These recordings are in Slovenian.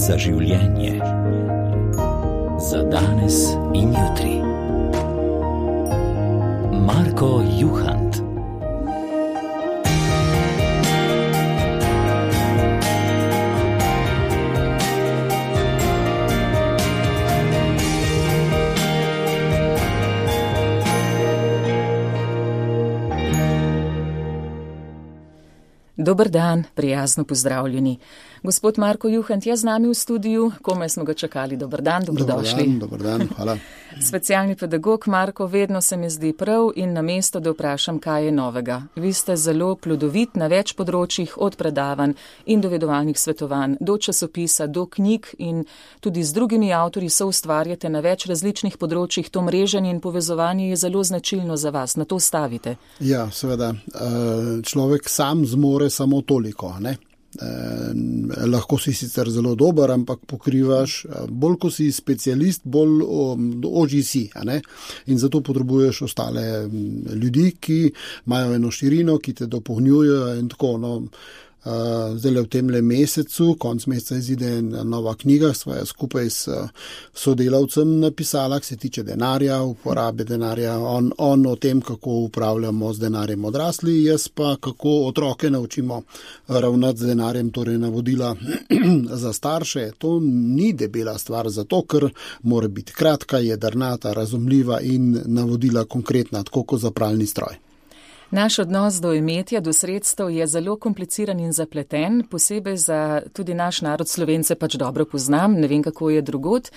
za življenje. Za danes in jutri. Marko Juhant. Dober dan, prijazno pozdravljeni. Gospod Marko Juhant je z nami v studiu, komaj smo ga čakali. Dober dan, dobrodošli. Dober dan, hvala. Specialni pedagog Marko, vedno se mi zdi prav in na mesto, da vprašam, kaj je novega. Vi ste zelo plodovit na več področjih, od predavanj in dovedovalnih svetovanj, do časopisa, do knjig in tudi z drugimi avtorji soustvarjate na več različnih področjih. To mreženje in povezovanje je zelo značilno za vas, na to stavite. Ja, seveda. Človek sam zmore samo toliko, ne? Lahko si sicer zelo dober, ampak pokrivaš, bolj ko si specialist, bolj ožji si, ne? In zato potrebuješ ostale ljudi, ki imajo eno širino, ki te dopolnjujejo in tako, no. Zdaj v temle mesecu, konc meseca izide nova knjiga, sva skupaj s sodelavcem napisala, ki se tiče denarja, uporabe denarja, on o tem, kako upravljamo z denarjem odrasli, jaz pa kako otroke naučimo ravnati z denarjem, torej navodila za starše. To ni debela stvar, zato ker mora biti kratka, jedrnata, razumljiva in navodila konkretna, tako kot za pralni stroj. Naš odnos do imetja, do sredstev je zelo kompliciran in zapleten, posebej za tudi naš narod Slovence pač dobro poznam, ne vem, kako je drugod.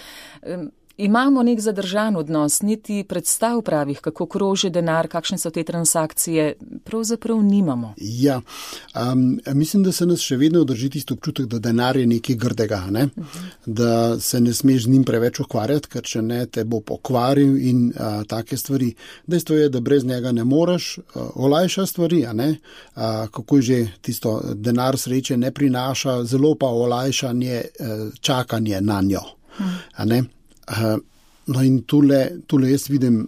Imamo nek zadržan odnos, niti predstav pravih, kako kroži denar, kakšne so te transakcije, pravzaprav nimamo. Ja, mislim, da se nas še vedno drži tisti občutek, da denar je nekaj grdega, ne? Da se ne smeš z njim preveč ukvarjati, ker če ne, te bo pokvaril in take stvari. Dejstvo je, da brez njega ne moreš, olajša stvari, a ne? Kako je že tisto, denar sreče ne prinaša, zelo pa olajšanje čakanje na njo, a ne? No in tule jaz vidim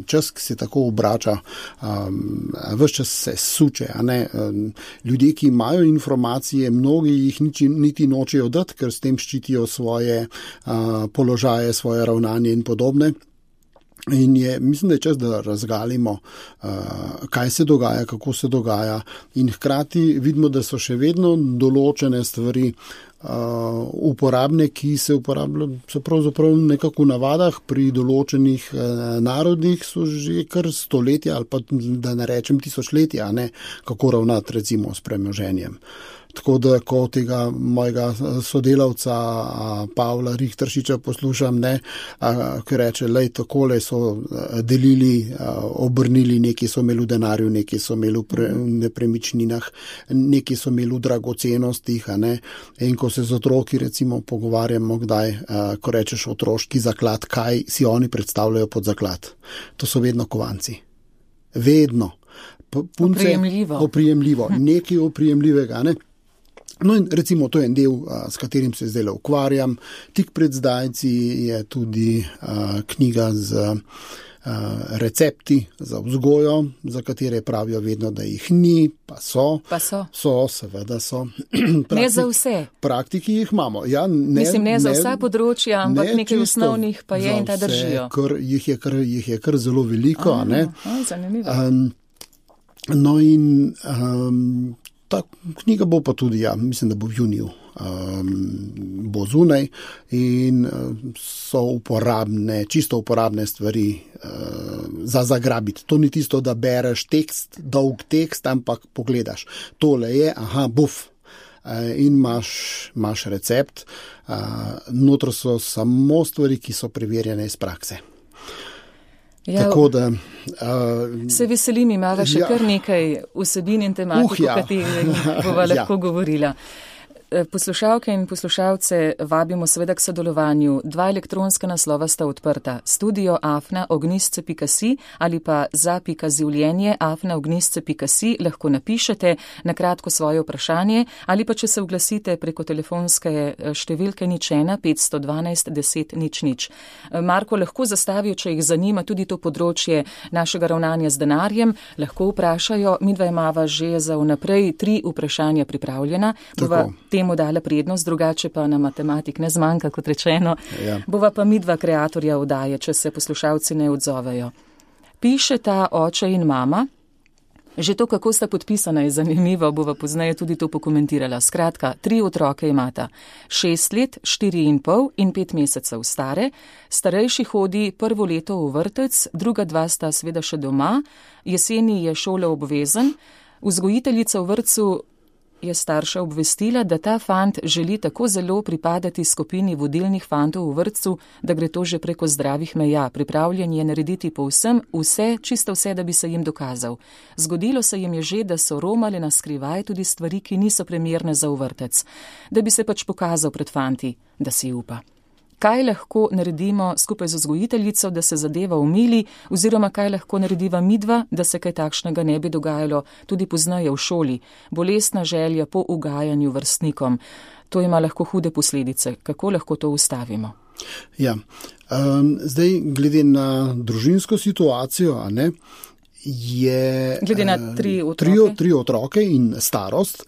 čas, ki se tako obrača, ves čas se suče, a ne? Ljudje, ki imajo informacije, mnogi jih niti nočejo dati, ker s tem ščitijo svoje položaje, svoje ravnanje in podobne. In mislim, da je čas, da razgalimo, kaj se dogaja, kako se dogaja in hkrati vidimo, da so še vedno določene stvari uporabne, ki se uporabljajo, so pravzaprav nekako v navadah pri določenih narodih, so že kar stoletja ali pa da ne rečem tisočletja, ne, kako ravnati recimo s premoženjem. Tako da, ko tega mojega sodelavca Pavla Richteršiča poslušam, ne, ki reče, lej, takole so delili, obrnili, neki so imeli v denarju, neki so imeli v nepremičninah, neki so imeli v dragocenostih, ne, in ko se z otroki recimo pogovarjamo kdaj, ko rečeš otroški zaklad, kaj si oni predstavljajo pod zaklad. To so vedno kovanci. Vedno. Punce, oprijemljivo. Nekaj oprijemljivega, ne. No in recimo to je en del, s katerim se zdaj ukvarjam. Tik pred zdajci je tudi knjiga z recepti za vzgojo, za katere pravijo vedno, da jih ni, pa so. Pa so. So, seveda so. Ne za vse. Praktiki jih imamo. Ja, mislim, ne za vsa področja, ampak nekaj osnovnih pa je in ta držijo. Jih je kar zelo veliko, ne? Zanimivo. No in ta knjiga bo pa tudi, ja, mislim, da bo v juniju, bo zunaj in so uporabne, čisto uporabne stvari za zagrabiti. To ni tisto, da bereš tekst, dolg tekst, ampak pogledaš. Tole je, buf, in imaš recept. Notro so samo stvari, ki so preverjene iz prakse. Ja, tako da se veselim, imava še kar nekaj vsebin in tematik, o katerih bova lahko govorila. Poslušalke in poslušalce vabimo seveda k sodelovanju. 2 elektronska naslova sta odprta. studio@ognistce.si ali pa za.življenje@ognistce.si lahko napišete na kratko svoje vprašanje ali pa če se oglasite preko telefonske številke 01 512 10 00. Marko, lahko zastavijo, če jih zanima tudi to področje našega ravnanja z denarjem, lahko vprašajo. Midva imava že za vnaprej 3 vprašanja pripravljena. Bova temu dala prednost, drugače pa na matematik ne zmanjka, kot rečeno. Ja. Bova pa midva kreatorja oddaje, če se poslušalci ne odzovejo. Pišeta oče in mama. Že to, kako sta podpisana, je zanimivo, bova pozneje tudi to pokomentirala. Skratka, 3 otroke imata. 6 let, 4,5 in 5 mesecev stare. Starejši hodi prvo leto v vrtec, druga 2 sta seveda še doma. Jeseni je šole obvezen. Vzgojiteljica v vrtcu je starša obvestila, da ta fant želi tako zelo pripadati skupini vodilnih fantov v vrtcu, da gre to že preko zdravih meja. Pripravljen je narediti povsem vse, čisto vse, da bi se jim dokazal. Zgodilo se jim je že, da so romali na skrivaj tudi stvari, ki niso primerne za v vrtec. Da bi se pač pokazal pred fanti, da si upa. Kaj lahko naredimo skupaj z vzgojiteljico, da se zadeva umili, oziroma kaj lahko narediva midva, da se kaj takšnega ne bi dogajalo tudi pozneje v šoli. Bolestna želja po ugajanju vrstnikom. To ima lahko hude posledice. Kako lahko to ustavimo? Ja, zdaj glede na družinsko situacijo, je glede na 3 otroke. 3 otroke in starost,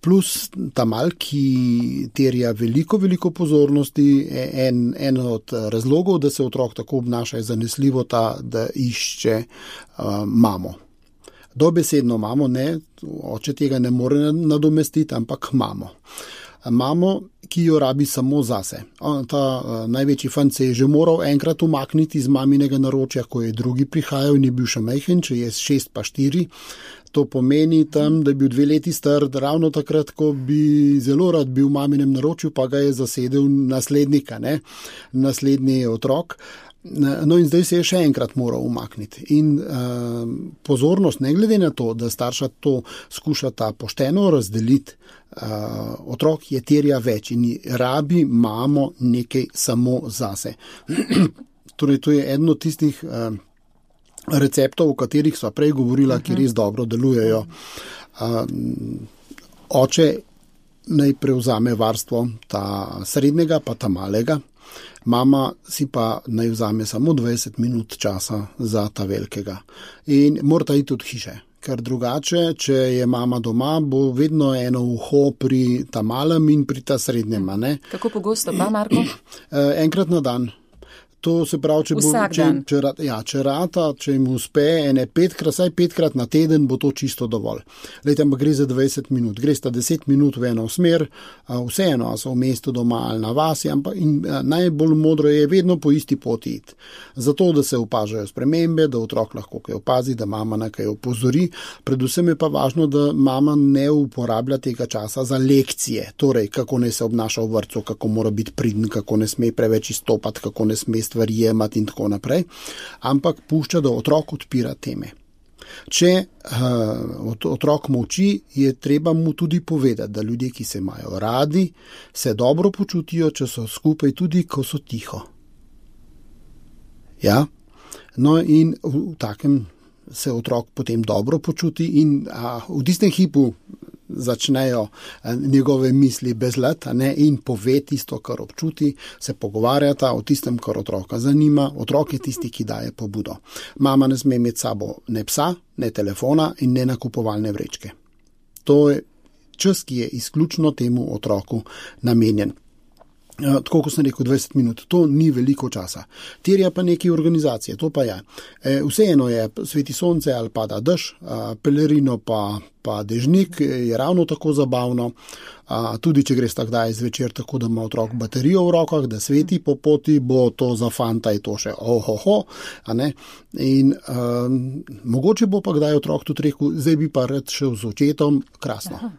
plus ta mal, ki terja veliko pozornosti. En od razlogov, da se otrok tako obnaša, je zanesljivo ta, da išče mamo. Dobesedno mamo, ne, oče tega ne more nadomestiti, ampak mamo. Mamo, ki jo rabi samo zase. Ta največji fant se je že moral enkrat umakniti iz maminega naročja, ko je drugi prihajal in je bil še majhen, če je 6 pa 4. To pomeni tam, da je bil 2 leti star, ravno takrat, ko bi zelo rad bil v maminem naročju, pa ga je zasedel naslednika, naslednji otrok. No in zdaj se je še enkrat moral umakniti. In pozornost, ne glede na to, da starša to skušata pošteno razdeliti, otrok je terja več in rabi mamo nekaj samo zase. Torej, to je eno od tistih receptov, o katerih sva prej govorila, ki res dobro delujejo. Oče naj prevzame varstvo ta srednjega pa ta malega. Mama si pa naj vzame samo 20 minut časa za ta velikega. In morata iti od hiše, ker drugače, če je mama doma, bo vedno eno uho pri ta malem in pri ta srednjem. Kako pogosto pa, Marko? Enkrat na dan. To se pravi, če jim uspe vsaj 5krat na teden, bo to čisto dovolj. Lejte, ampak gre za 20 minut. Gre sta 10 minut v eno smer, vseeno, a so v mestu doma ali na vasi, ampak najbolj modro je vedno po isti poti iti. Zato, da se opažajo spremembe, da otrok lahko kaj opazi, da mama na kaj opozori. Predvsem je pa važno, da mama ne uporablja tega časa za lekcije. Torej, kako naj se obnaša v vrtcu, kako mora biti priden, kako ne sme preveč izstopati, kako ne sme stvari jemati in tako naprej, ampak pušča, da otrok odpira teme. Če otrok molči, je treba mu tudi povedati, da ljudje, ki se imajo radi, se dobro počutijo, če so skupaj tudi, ko so tiho. Ja? No in v takem se otrok potem dobro počuti in v tistem hipu začnejo njegove misli bezlet in pove tisto, kar občuti, se pogovarjata o tistem, kar otroka zanima. Otrok je tisti, ki daje pobudo. Mama ne sme imeti sabo ne psa, ne telefona in ne nakupovalne vrečke. To je čas, ki je izključno temu otroku namenjen. Tako, kot sem rekel, 20 minut, to ni veliko časa. Terja pa nekaj organizacije, to pa je. Vseeno je, sveti sonce ali pada dež, pelerino pa dežnik je ravno tako zabavno. Tudi, če greš takdaj zvečer tako, da ima otrok baterijo v rokah, da sveti po poti, bo to za fanta je to še ohoho. In mogoče bo pa kdaj otrok tudi rekel, zdaj bi pa rad šel z očetom, krasno.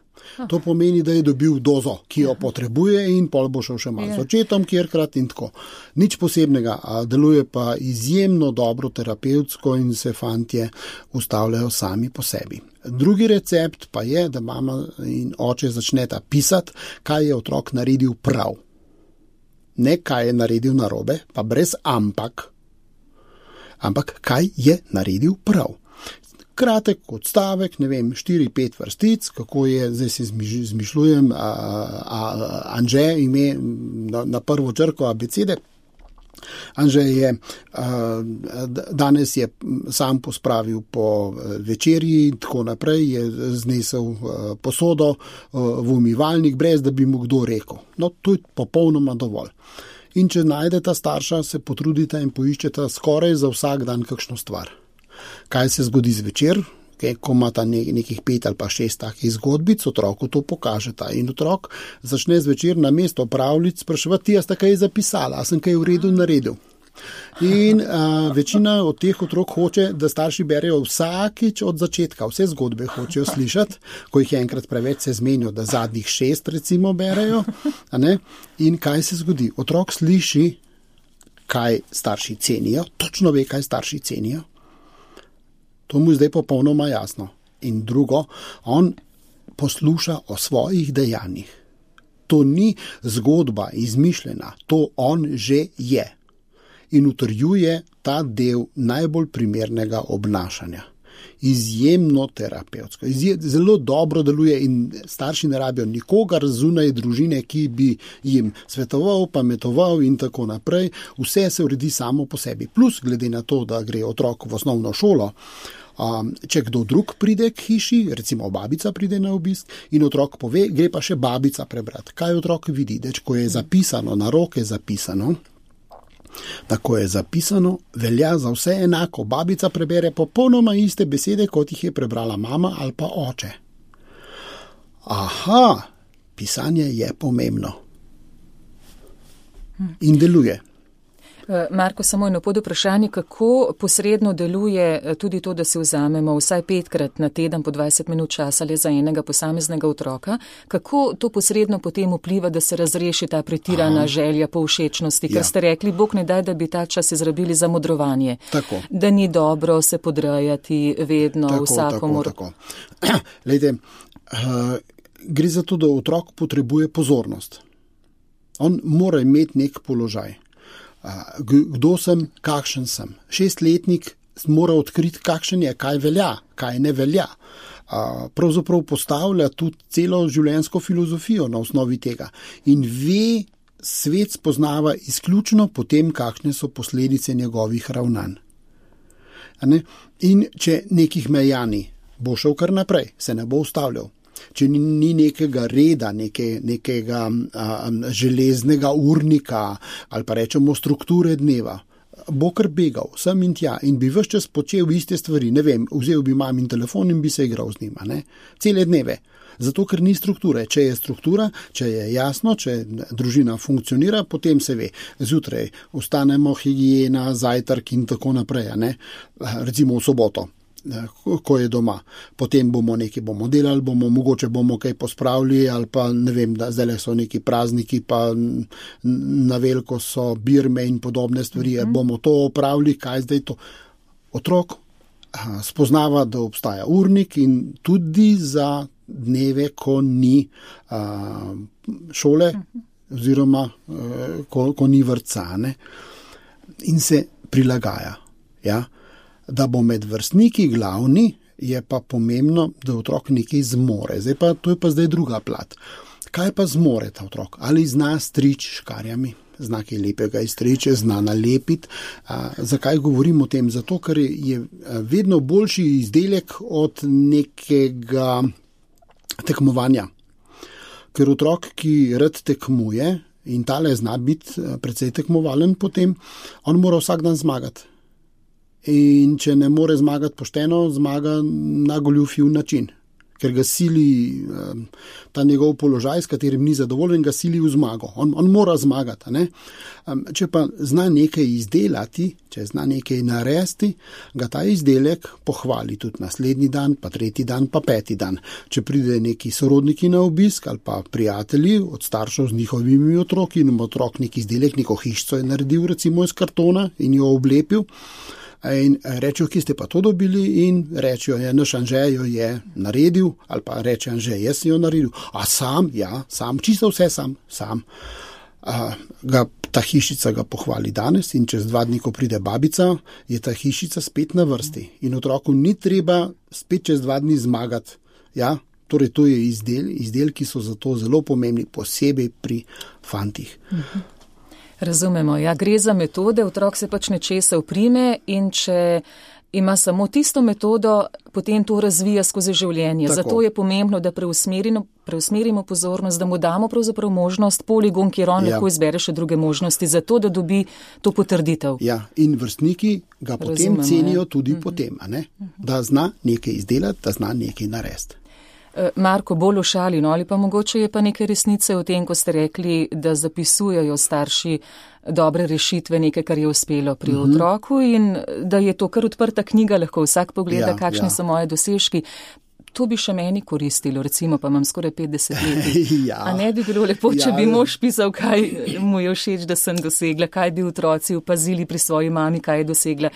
To pomeni, da je dobil dozo, ki jo potrebuje in pol bo šel še malo z očetom, kjerkrat in tako. Nič posebnega, deluje pa izjemno dobro terapevtsko in se fantje ustavljajo sami po sebi. Drugi recept pa je, da mama in oče začneta pisati, kaj je otrok naredil prav. Ne kaj je naredil narobe, pa brez ampak kaj je naredil prav. Kratek odstavek, 4-5 vrstic, kako je, zdaj si zmišljujem, Anže ime na prvo črko abecede, Anže je danes je sam pospravil po večerji, tako naprej, je znesel posodo v umivalnik, brez da bi mu kdo rekel. No, to je popolnoma dovolj. In če najdeta starša, se potrudite in poiščeta skoraj za vsak dan kakšno stvar. Kaj se zgodi zvečer? Ko imata nekih 5 ali pa 6 takih zgodbic, otroku to pokažeta in otrok začne zvečer na mesto pravljic spraševati, ti jaz kaj zapisala, a sem kaj v redu naredil. In večina od teh otrok hoče, da starši berejo vsakič od začetka, vse zgodbe hočejo slišati, ko jih je enkrat preveč se zmenijo, da zadnjih 6 recimo berejo. A ne? In kaj se zgodi? Otrok sliši, kaj starši cenijo, točno ve, kaj starši cenijo. To mu je zdaj popolnoma jasno. In drugo, on posluša o svojih dejanjih. To ni zgodba izmišljena, to on že je. In utrjuje ta del najbolj primernega obnašanja. Izjemno terapevtsko, zelo dobro deluje in starši ne rabijo nikogar zunaj družine, ki bi jim svetoval, pametoval in tako naprej. Vse se uredi samo po sebi. Plus, glede na to, da gre otrok v osnovno šolo, če kdo drug pride k hiši, recimo babica pride na obisk in otrok pove, gre pa še babica prebrati. Kaj otrok vidi? Ko je zapisano, na roke zapisano, tako je zapisano, velja za vse enako. Babica prebere popolnoma iste besede, kot jih je prebrala mama ali pa oče. Aha, pisanje je pomembno. In deluje. Marko, samo eno pod vprašanje, kako posredno deluje tudi to, da si vzamemo vsaj 5-krat na teden po 20 minut časa le za enega posameznega otroka, kako to posredno potem vpliva, da se razreši ta pretirana želja po všečnosti, ker ste rekli, Bog ne daj, da bi ta čas izrabili za modrovanje, tako. Da ni dobro se podrejati vedno vsakomur. Tako. Lejte, gre za to, da otrok potrebuje pozornost. On mora imeti nek položaj. Kdo sem, kakšen sem. 6-letnik mora odkriti, kakšen je, kaj velja, kaj ne velja. Pravzaprav postavlja tudi celo življenjsko filozofijo na osnovi tega. In ve, svet spoznava izključno potem, kakšne so posledice njegovih ravnanj. In če nekih meja ni, bo šel kar naprej, se ne bo ustavljal. Če ni nekega reda, nekega železnega urnika ali pa rečemo strukture dneva, bo kar begal sem in tja in bi ves čas počel iste stvari. Ne vem, vzel bi mamin telefon in bi se igral z njima. Cele dneve. Zato, ker ni strukture. Če je struktura, če je jasno, če družina funkcionira, potem se ve. Zjutraj vstanemo, higiena, zajtrk in tako naprej. Recimo v soboto. Ko je doma. Potem bomo delali, mogoče bomo kaj pospravili ali pa ne vem, da zdaj so neki prazniki, pa na veliko so birme in podobne stvari, bomo to opravili, kaj zdaj to. Otrok spoznava, da obstaja urnik in tudi za dneve, ko ni šole oziroma ko ni vrtca, in se prilagaja, ja. Da bo med vrstniki glavni, je pa pomembno, da otrok nekaj zmore. To je pa zdaj druga plat. Kaj pa zmore ta otrok? Ali zna strič škarjami? Zna kaj lepega izstriče, zna nalepiti. Zakaj govorim o tem? Zato, ker je vedno boljši izdelek od nekega tekmovanja. Ker otrok, ki rad tekmuje in tale zna biti precej tekmovalen potem, on mora vsak dan zmagati. In če ne more zmagati pošteno, zmaga na goljufjiv način, ker ga sili ta njegov položaj, s katerim ni zadovoljen, ga sili v zmago. On mora zmagati. Če pa zna nekaj izdelati, če zna nekaj narediti, ga ta izdelek pohvali tudi naslednji dan, pa 3. dan, pa 5. dan. Če pride neki sorodniki na obisk ali pa prijatelji od staršev z njihovimi otroki in otrok neki izdelek, neko hišico je naredil recimo iz kartona in jo oblepil, in rečejo, ki ste pa to dobili, in rečejo, naš Anže jo je naredil, ali pa reče Anže, jaz sem jo naredil. A sam? Ja, sam, čisto vse sam. Ta hišica ga pohvali danes in čez 2 dni, ko pride babica, je ta hišica spet na vrsti. In otroku ni treba spet čez 2 dni zmagati. Ja, torej to je izdelki so zato zelo pomembni, posebej pri fantih. Razumemo, ja, gre za metode, otrok se pač nečesa uprime in če ima samo tisto metodo, potem to razvija skozi življenje. Tako. Zato je pomembno, da preusmerimo pozornost, da mu damo pravzaprav možnost, poligon, kjer on lahko izbere še druge možnosti, zato da dobi to potrditev. Ja, in vrstniki ga potem cenijo tudi potem, a ne? Da zna nekaj izdelati, da zna nekaj narediti. Marko, bolj v šali, no, ali pa mogoče je pa nekaj resnice v tem, ko ste rekli, da zapisujejo starši dobre rešitve, nekaj, kar je uspelo pri otroku in da je to kar odprta knjiga, lahko vsak pogleda, kakšni so moje dosežki. To bi še meni koristilo, recimo, pa imam skoraj 50 let. Ja. A ne bi bilo lepo, če bi mož pisal, kaj mu je všeč, da sem dosegla, kaj bi otroci opazili pri svoji mami, kaj je dosegla.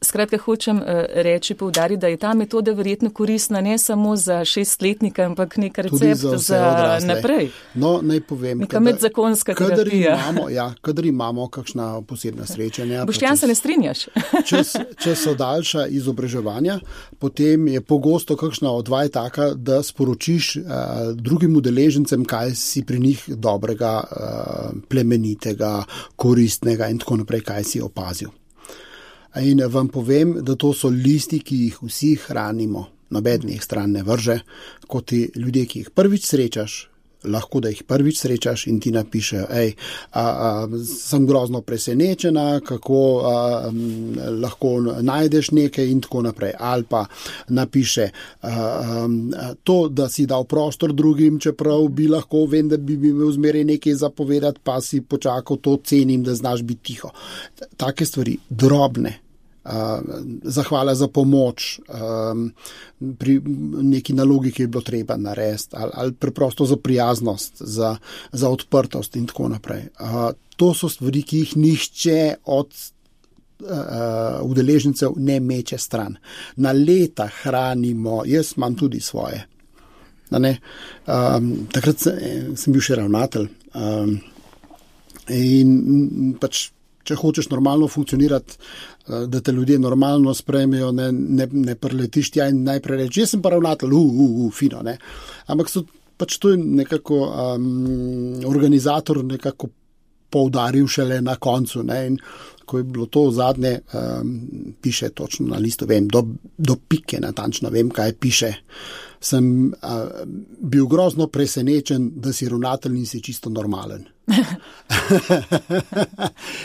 Skratka, hočem reči, poudariti, da je ta metoda verjetno koristna ne samo za 6-letnika, ampak nek recept za naprej. No, naj povem. Neka medzakonska terapija. Kadar imamo kakšna posebna srečanja. Boštjan, se ne strinjaš? Če so daljša izobraževanja, potem je pogosto kakšna odvaj taka, da sporočiš drugim udeležencem, kaj si pri njih dobrega, plemenitega, koristnega in tako naprej, kaj si opazil. In vam povem, da to so listi, ki jih vsi hranimo, nobenih stran ne vrže, kot ti ljudje, ki jih prvič srečaš, lahko da jih prvič srečaš in ti napišejo, sem grozno presenečena, kako lahko najdeš nekaj in tako naprej. Ali pa napiše to, da si dal prostor drugim, čeprav bi lahko, vem, da bi imel zmeraj nekaj zapovedati, pa si počakal, to cenim, da znaš biti tiho. Take stvari, drobne. Zahvala za pomoč pri neki nalogi, ki je bilo treba narediti, ali preprosto za prijaznost, za odprtost in tako naprej. To so stvari, ki jih nihče od udeležencev ne meče stran. Na leta hranimo, jaz imam tudi svoje. Takrat sem bil še ravnatelj in pač, če hočeš normalno funkcionirati, da te ljudje normalno sprejmejo, ne preletiš tja in najprej reči, jaz sem pa ravnatelj, fino, ne. Ampak pač to je nekako organizator nekako poudaril šele na koncu, ne, in ko je bilo to zadnje, piše točno na listu, vem, do pike natančno vem, kaj piše. Sem bil grozno presenečen, da si ravnatelj in si čisto normalen.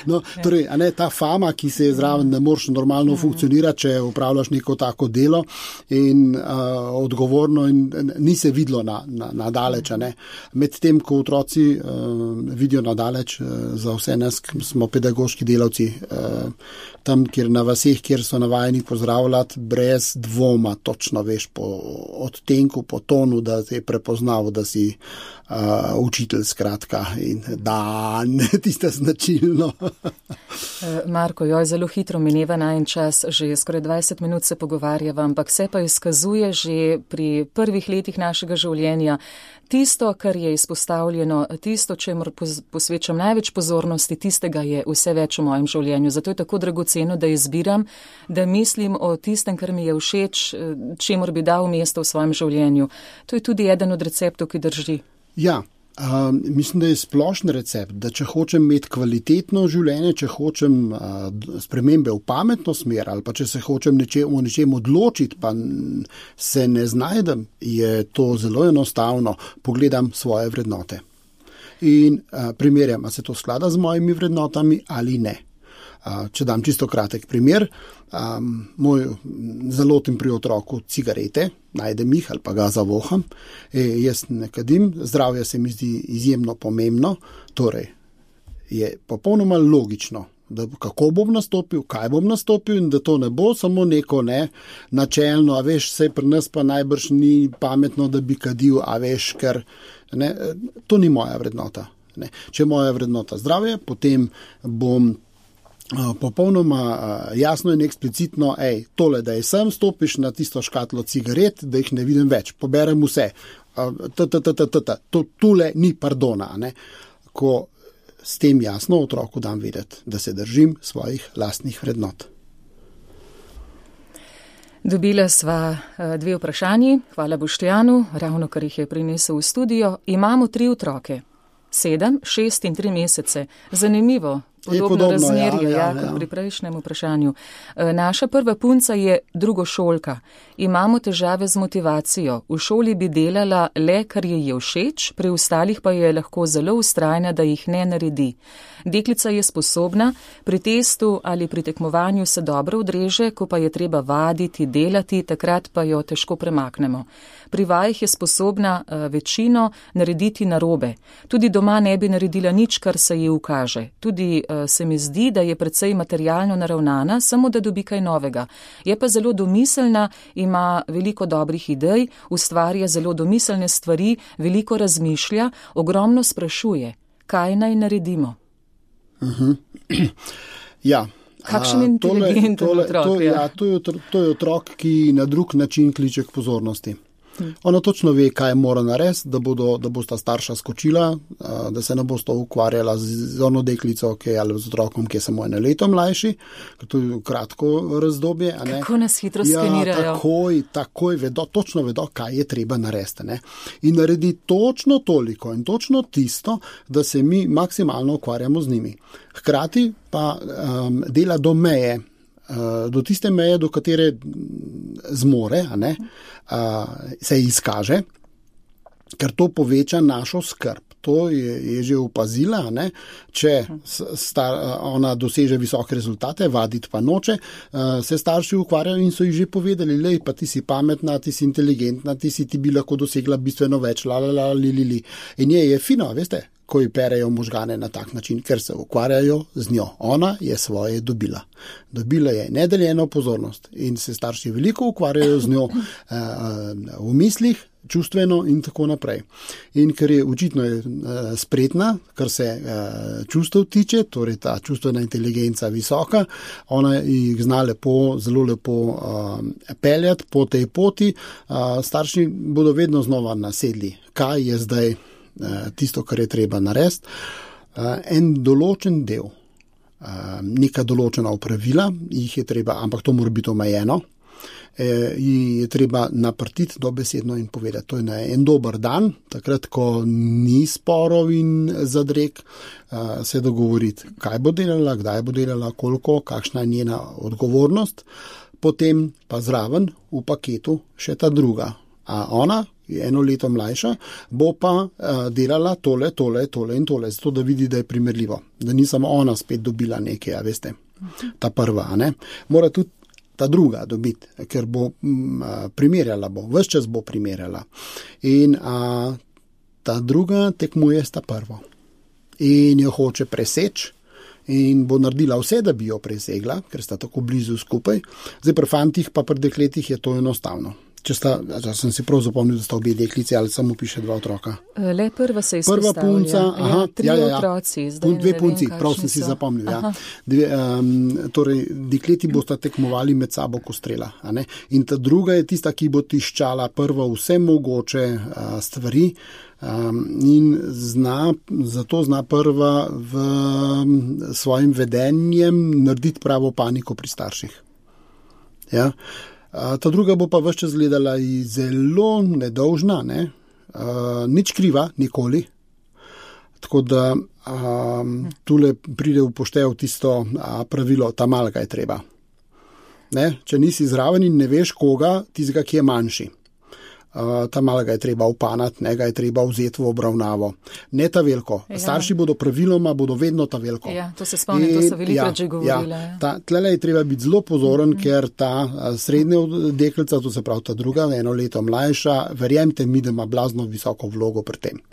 No, torej, ta fama, ki se je zraven, ne moreš normalno funkcionirati, če upravljaš neko tako delo in odgovorno in ni se videlo na daleč. Medtem, ko otroci vidijo na daleč, za vse nas, smo pedagoški delavci, tam, kjer na vaseh, kjer so navajeni pozdravljati, brez dvoma točno veš po odtenku, po tonu, da te je prepoznal, da si učitelj, skratka, in dan, tista značilno. Marko, zelo hitro mineva najin čas, že skoraj 20 minut se pogovarjava, ampak se pa izkazuje že pri prvih letih našega življenja tisto, kar je izpostavljeno, tisto, čemur posvečam največ pozornosti, tistega je vse več v mojem življenju. Zato je tako dragoceno, da izbiram, da mislim o tistem, kar mi je všeč, čemur bi dal mesto v svojem življenju. To je tudi eden od receptov, ki drži. Ja, mislim, da je splošen recept, da če hočem imeti kvalitetno življenje, če hočem spremembe v pametno smer ali pa če se hočem o nečem odločiti, pa se ne znajdem, je to zelo enostavno. Pogledam svoje vrednote in primerjam, a se to sklada z mojimi vrednotami ali ne. Če dam čisto kratek primer, moj zalotim pri otroku cigarete, najdem jih ali pa ga zavoham, jaz ne kadim, zdravje se mi zdi izjemno pomembno, torej je popolnoma logično, da kako bom nastopil, kaj bom nastopil in da to ne bo samo neko načelno, a veš, saj pri nas pa najbrž ni pametno, da bi kadil, a veš, ker to ni moja vrednota. Če je moja vrednota zdravje, potem bom popolnoma jasno in eksplicitno, tole, da je sem, stopiš na tisto škatlo cigaret, da jih ne vidim več, poberem vse, tule ni pardona, ko s tem jasno otroku dam vedeti, da se držim svojih lastnih vrednot. Dobila sva 2 vprašanji, hvala Boštjanu, ravno kar jih je prinesel v studio. Imamo 3 otroke. 7, 6 in 3 mesece. Zanimivo. Podobno razmerje, kot pri prejšnjem vprašanju. Naša prva punca je drugošolka. Imamo težave z motivacijo. V šoli bi delala le, kar ji je všeč, pri ostalih pa je lahko zelo vztrajna, da jih ne naredi. Deklica je sposobna, pri testu ali pri tekmovanju se dobro odreže, ko pa je treba vaditi, delati, takrat pa jo težko premaknemo. Pri vajah je sposobna večino narediti narobe. Tudi doma ne bi naredila nič, kar se ji ukaže. Tudi se mi zdi, da je precej materialno naravnana, samo da dobi kaj novega. Je pa zelo domiselna, ima veliko dobrih idej, ustvarja zelo domiselne stvari, veliko razmišlja, ogromno sprašuje. Kaj naj naredimo? Ja. Kakšen inteligenten otrok? To je otrok, ki na drug način kliče k pozornosti. Ona točno ve, kaj mora narediti, da bosta starša skočila, da se ne bosta ukvarjala z ono deklico, ali z otrokom, ki je samo 1 leto mlajši, ker to je kratko razdobje. Kako nas hitro skenirajo. Takoj vedo, točno vedo, kaj je treba narediti. In naredi točno toliko in točno tisto, da se mi maksimalno ukvarjamo z njimi. Hkrati pa dela do meje, do tiste meje, do katere zmore, se izkaže, ker to poveča našo skrb. To je že opazila, če ona doseže visoke rezultate, vaditi pa noče, se starši ukvarjajo in so ji že povedali, lej, pa ti si pametna, ti si inteligentna, ti bi lahko dosegla bistveno več, li. In je fino, veste, ko ji perejo možgane na tak način, ker se ukvarjajo z njo. Ona je svoje dobila. Dobila je nedeljeno pozornost in se starši veliko ukvarjajo z njo v mislih, čustveno in tako naprej. In ker je očitno spretna, kar se čustev tiče, torej ta čustvena inteligenca visoka, ona jih zna zelo lepo peljati po tej poti, starši bodo vedno znova nasedli, kaj je zdaj tisto, kar je treba narediti. En določen del, neka določena opravila, jih je treba, ampak to mora biti omejeno, je treba naprtiti dobesedno in povedati. To je na en dober dan, takrat, ko ni sporov in zadreg, se dogovoriti, kaj bo delala, kdaj bo delala, koliko, kakšna je njena odgovornost, potem pa zraven v paketu še ta druga. A ona je 1 leto mlajša, bo pa delala tole in tole, zato da vidi, da je primerljivo, da ni samo ona spet dobila nekaj, veste, ta prva, mora tudi ta druga dobiti, ker bo primerjala, ves čas bo primerjala. In ta druga tekmuje s ta prvo. In jo hoče preseči in bo naredila vse, da bi jo presegla, ker sta tako blizu skupaj. Zdaj pri fantih pa pri dekletih je to enostavno. Če sem si prav zapomnil, da sta obe deklici ali samo piše 2 otroka. Le prva se izpostavlja. Prva punca, 3 otroci. 2 punci, prav sem si zapomnil. Torej, dekleti bosta tekmovali med sabo ko strela. In ta druga je tista, ki bo tiščala prva vse mogoče stvari in zato zna prva v svojim vedenjem narediti pravo paniko pri starših. Ja. Ta druga bo pa ves čas gledala zelo nedolžna, nič kriva, nikoli. Tako da tule pride v poštev tisto pravilo, ta malga je treba. Če nisi zraven in ne veš koga, tistega, ki je manjši. Ta malega je treba upanati, ga je treba vzeti v obravnavo. Ne ta veliko. Starši bodo vedno ta veliko. Ja, to se spomnim, to so velikrat že govorila. Tlele je treba biti zelo pozoren, ker ta srednja deklica, to se pravi ta druga, 1 leto mlajša, verjemite mi, da ima blazno visoko vlogo pri tem.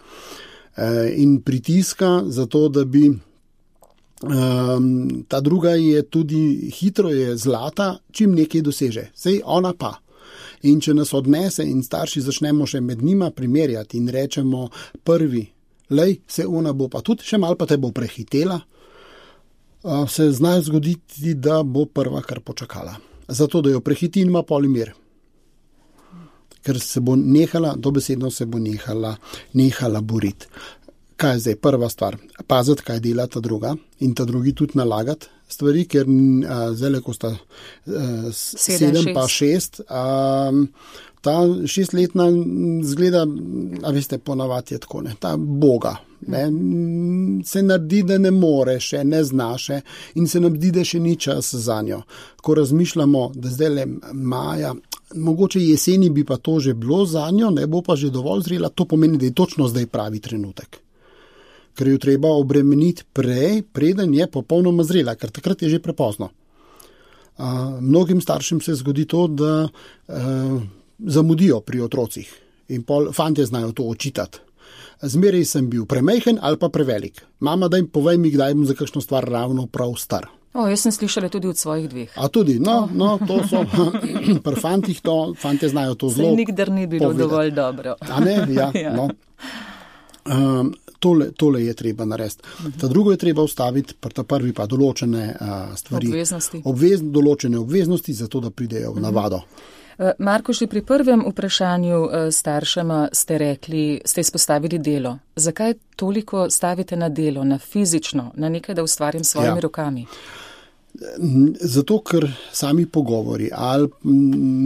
In pritiska za to, da bi ta druga je tudi hitro je zlata, čim nekaj doseže. Sej ona pa. In če nas odnese in starši začnemo še med njima primerjati in rečemo prvi, se ona bo pa tudi še malo pa te bo prehitela, se zna zgoditi, da bo prva kar počakala. Zato, da jo prehiti in ima polimir. Ker se bo dobesedno se bo nehala boriti. Kaj je zdaj prva stvar? Paziti, kaj dela ta druga in ta drugi tudi nalagati stvari, ker zdaj, ko sta 7 pa 6, ta 6-letna zgleda, veste, ponavadi je tako, ta boga, ne, se naredi, da ne more še, ne zna še in se nam zdi, da še ni čas za njo. Ko razmišljamo, da zdaj le maja, mogoče jeseni bi pa to že bilo za njo, ne bo pa že dovolj zrela, to pomeni, da je točno zdaj pravi trenutek. Ker jo treba obremeniti prej, preden je popolnoma zrela, ker takrat je že prepozno. Mnogim staršem se zgodi to, da zamudijo pri otrocih in fantje znajo to očitati. Zmeraj sem bil premajhen ali pa prevelik. Mama, povej mi, kdaj bom za kakšno stvar ravno prav star. Jaz sem slišala tudi od svojih dveh. A tudi, no, to so pri fantih, fantje znajo to zelo. Saj nikdar ni bilo povedati. Dovolj dobro. A ne, ja. No. Tole je treba narediti. Ta drugo je treba ustaviti, ta prvi pa določene stvari. Obveznosti. Določene obveznosti, zato da pridejo v navado. Marko, že pri prvem vprašanju staršema ste izpostavili delo. Zakaj toliko stavite na delo, na fizično, na nekaj, da ustvarim svojimi rokami? Zato, ker sami pogovori ali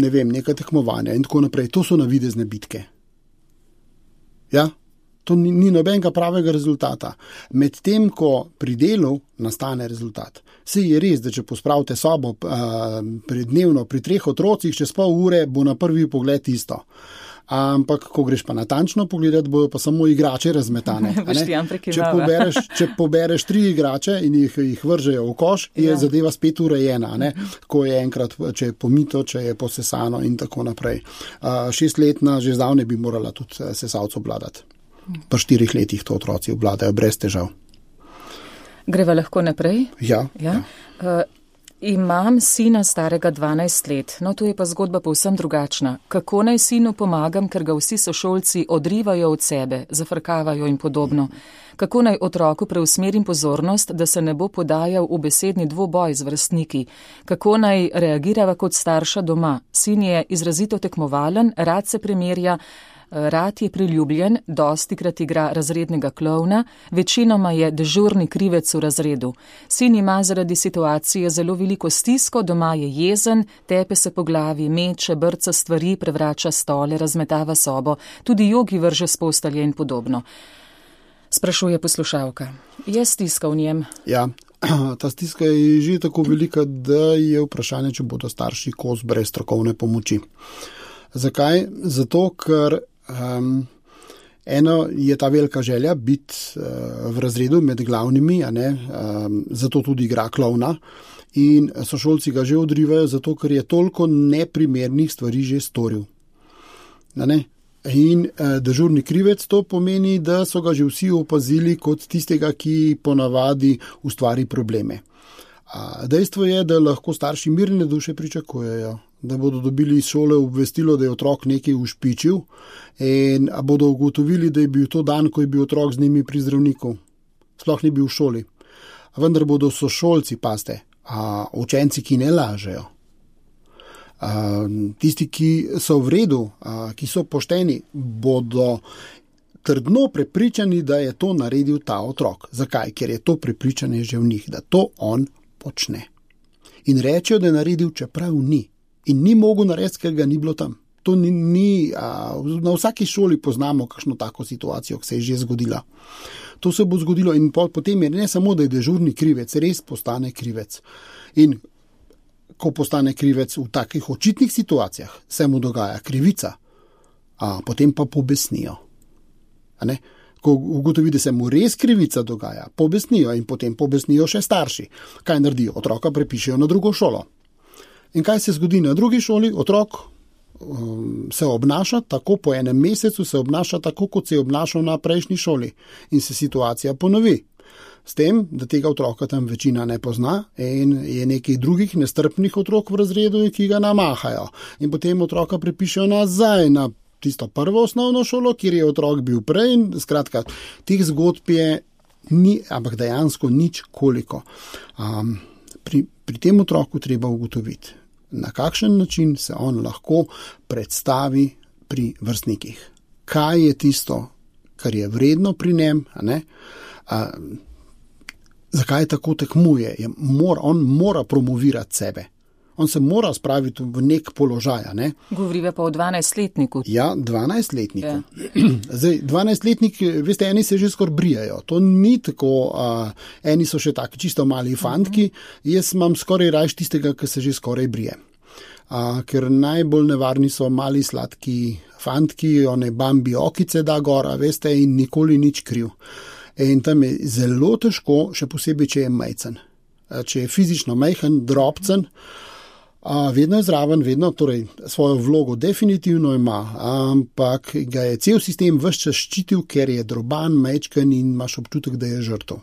ne vem, neka tekmovanja in tako naprej, to so navidezne bitke. Ja? To ni nobenega pravega rezultata. Medtem, ko pri delu nastane rezultat. Saj je res, da če pospravite sobo dnevno pri 3 otrocih, čez pol ure bo na prvi pogled isto. Ampak, ko greš pa natančno pogledati, bojo pa samo igrače razmetane. Če pobereš 3 igrače in jih vržejo v koš, je zadeva spet urejena. Ko je enkrat, če je pomito, če je posesano in tako naprej. 6-letna že zdavne bi morala tudi sesalco obvladati. Pa 4 letih to otroci obvladajo brez težav. Greva lahko naprej? Ja. Imam sina starega 12 let, no tu je pa zgodba povsem drugačna. Kako naj sinu pomagam, ker ga vsi sošolci odrivajo od sebe, zafrkavajo in podobno? Kako naj otroku preusmerim pozornost, da se ne bo podajal v besedni dvoboj z vrstniki? Kako naj reagirava kot starša doma? Sin je izrazito tekmovalen, rad se primerja, rad je priljubljen, dostikrat igra razrednega klovna, večinoma je dežurni krivec v razredu. Sin ima zaradi situacije zelo veliko stisko, doma je jezen, tepe se po glavi, meče, brca stvari, prevrača stole, razmetava sobo, tudi jogi vrže s postelje in podobno. Sprašuje poslušalka. Je stiska v njem? Ja, ta stiska je že tako velika, da je vprašanje, če bodo starši kos brez strokovne pomoči. Zakaj? Zato, ker eno je ta velika želja biti v razredu med glavnimi, zato tudi igra klovna in sošolci ga že odrivajo, zato ker je toliko neprimernih stvari že storil. In dežurni krivec to pomeni, da so ga že vsi opazili kot tistega, ki ponavadi ustvari probleme. Dejstvo je, da lahko starši mirne duše pričakujejo, da bodo dobili iz šole obvestilo, da je otrok nekaj ušpičil in bodo ugotovili, da je bil to dan, ko je bil otrok z njimi pri zdravniku. Sploh ni bil v šoli. Vendar bodo sošolci, pazite, učenci, ki ne lažejo. Tisti, ki so v redu, ki so pošteni, bodo trdno prepričani, da je to naredil ta otrok. Zakaj? Ker je to prepričanje že v njih, da to on počne. In rečejo, da je naredil, čeprav ni. In ni mogel narediti, ker ga ni bilo tam. To ni na vsaki šoli poznamo kakšno tako situacijo, ki se je že zgodila. To se bo zgodilo in potem je ne samo, da je dežurni krivec, res postane krivec. In ko postane krivec v takih očitnih situacijah, se mu dogaja krivica, potem pa pobesnijo. Ko ugotovi, da se mu res krivica dogaja, pobesnijo in potem pobesnijo še starši. Kaj naredijo? Otroka prepišejo na drugo šolo. In kaj se zgodi na drugi šoli? Otrok se obnaša tako, po enem mesecu se obnaša tako, kot se je obnašal na prejšnji šoli. In se situacija ponovi. S tem, da tega otroka tam večina ne pozna in je nekih drugih nestrpnih otrok v razredu, ki ga namahajo. In potem otroka prepišejo nazaj na tisto prvo osnovno šolo, kjer je otrok bil prej. In skratka, teh zgodb je ni, ampak dejansko nič koliko. Pri tem otroku treba ugotoviti, na kakšen način se on lahko predstavi pri vrstnikih. Kaj je tisto, kar je vredno pri njem, zakaj tako tekmuje. On mora promovirati sebe. On se mora spraviti v nek položaj. Ne? Govoriva pa o 12-letniku. Ja, 12-letniku. Zdaj, 12-letnik, veste, eni se že skoraj brijajo. To ni tako, eni so še taki čisto mali fantki, jaz imam skoraj rajš tistega, ki se že skoraj brije. Ker najbolj nevarni so mali sladki fantki, one Bambi okice da gora, veste, in nikoli nič kriv. In tam je zelo težko, še posebej, če je majcen. Če je fizično majhen, drobcen, vedno je zraven, vedno, torej svojo vlogo definitivno ima, ampak ga je cel sistem ves čas ščitil, ker je droban, majčken in imaš občutek, da je žrtev.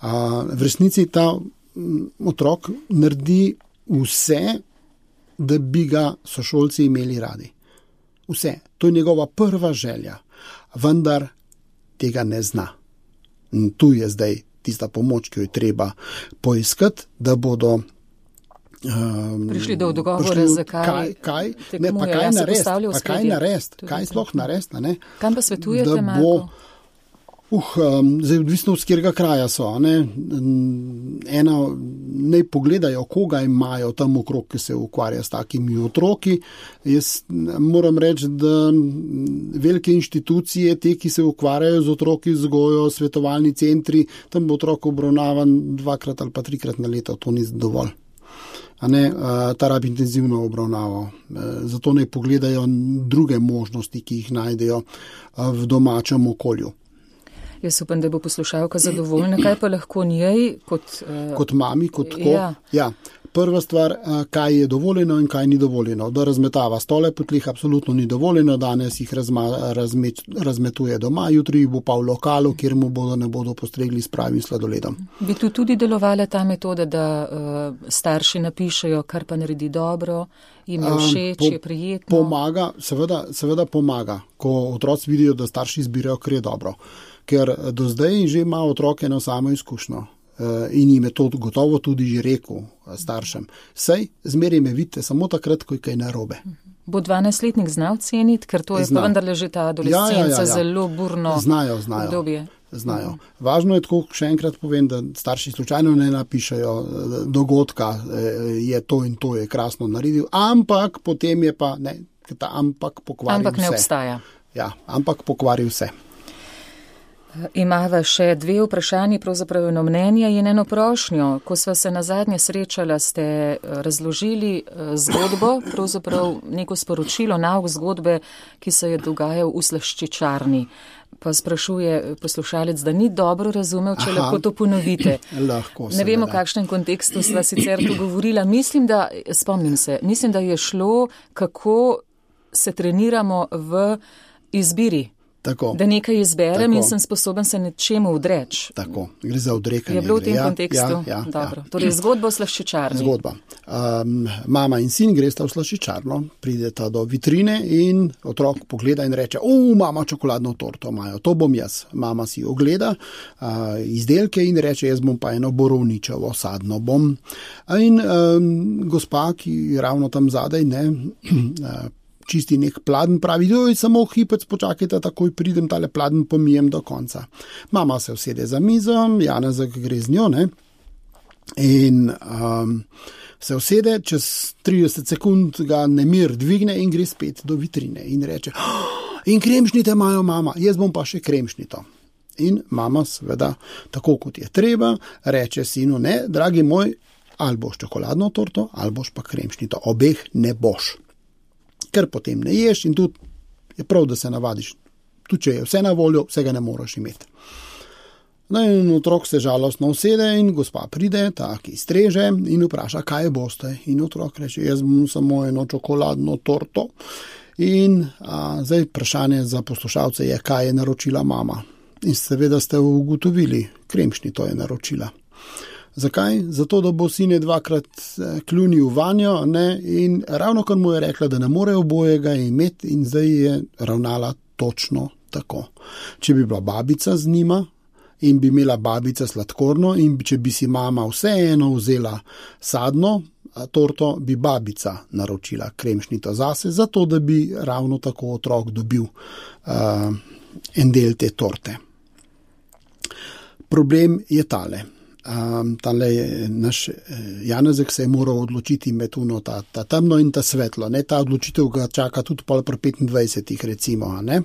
V resnici ta otrok naredi vse, da bi ga sošolci imeli radi. Vse. To je njegova prva želja, vendar tega ne zna. In tu je zdaj tista pomoč, ki jo je treba poiskati, da bodo prišli do dogovora, zakaj narediti, kaj sploh narediti. Kam pa svetujete, Marko? Zdaj odvisno, z katerega kraja so. Naj pogledajo, koga imajo tam okrog, ki se ukvarja s takimi otroki. Jaz moram reči, da velike inštitucije, te, ki se ukvarjajo z otroki, vzgojo, svetovalni centri, tam bo otrok obravnavan 2 ali pa 3 na leto, to ni dovolj. Ta rabi intenzivno obravnavo. Zato naj pogledajo druge možnosti, ki jih najdejo v domačem okolju. Jaz upam, da bo poslušalka zadovoljna. Kaj pa lahko njej kot mami, kot tako? Ja. Prva stvar, kaj je dovoljeno in kaj ni dovoljeno. Da razmetava stole po tleh absolutno ni dovoljeno, danes jih razmetuje doma, jutri bo pa v lokalu, kjer mu ne bodo postregli s pravim sladoledom. Bi tu tudi delovala ta metoda, da starši napišejo, kar pa naredi dobro, jim je všeč, je prijetno? Pomaga, seveda pomaga, ko otroci vidijo, da starši izbirajo, kar je dobro. Ker do zdaj že ima otroke eno samo izkušnjo in jim je to gotovo tudi že rekel staršem. Sej, zmeraj me vidite samo takrat, ko je kaj narobe. Bo 12-letnik znal ceniti, ker to je pa vendarle že ta adolescenca zelo burno obdobje. Znajo. Važno je tako, še enkrat povem, da starši slučajno ne napišajo dogodka, je to in to je krasno naredil, ampak potem je pa, ampak pokvari vse. Ampak ne obstaja. Ja, ampak pokvari vse. Imava še 2 vprašanji, pravzaprav eno mnenje in eno prošnjo. Ko sva se nazadnje srečala, ste razložili zgodbo, pravzaprav neko sporočilo, nauk zgodbe, ki se je dogajal v slaščičarni. Pa sprašuje poslušalec, da ni dobro razumel, če lahko to ponovite. Lahko, ne vemo, v kakšnem kontekstu sva sicer to govorila. Mislim, da je šlo, kako se treniramo v izbiri. Tako. Da nekaj izberem in sem sposoben se nečemu odreči. Tako, gre za odrekanje. Je bilo v tem kontekstu? Dobro. Torej, zgodba v slaščičarni. Zgodba. Mama in sin gresta v slaščičarno, prideta do vitrine in otrok pogleda in reče, mama, čokoladno torto imajo, to bom jaz. Mama si ogleda izdelke in reče, jaz bom pa eno borovničevo, sadno bom. In gospa, ki ravno tam zadaj, čisti nek pladen, pravi, samo hipec počakajte, takoj pridem, tale pladen pomijem do konca. Mama se usede za mizo, Janezek gre z njo, in se usede, čez 30 sekund ga nemir dvigne in gre spet do vitrine in reče, in kremšnite imajo, mama, jaz bom pa še kremšnito. In mama seveda, tako kot je treba, reče sinu, ne, dragi moj, ali boš čokoladno torto, ali boš pa kremšnito, obeh ne boš. Ker potem ne ješ in tudi je prav, da se navadiš. Tudi če je vse na voljo, vsega ne moraš imeti. In otrok se žalostno usede in gospa pride, ki streže in vpraša, kaj boste. In otrok reče, jaz bom samo eno čokoladno torto. In zdaj vprašanje za poslušalce je, kaj je naročila mama. In seveda ste ugotovili, kremšnito je naročila. Zakaj? Zato, da bo sine 2krat kljunil vanjo, in ravno kar mu je rekla, da ne more obojega imeti in zdaj je ravnala točno tako. Če bi bila babica z njima in bi imela babica sladkorno in če bi si mama vseeno vzela sadno torto, bi babica naročila kremšnito zase, zato da bi ravno tako otrok dobil en del te torte. Problem je tale. tale naš Janezek se je moral odločiti med ta temno in ta svetlo. Ne? Ta odločitev ga čaka tudi pol pri 25 recimo. Ne?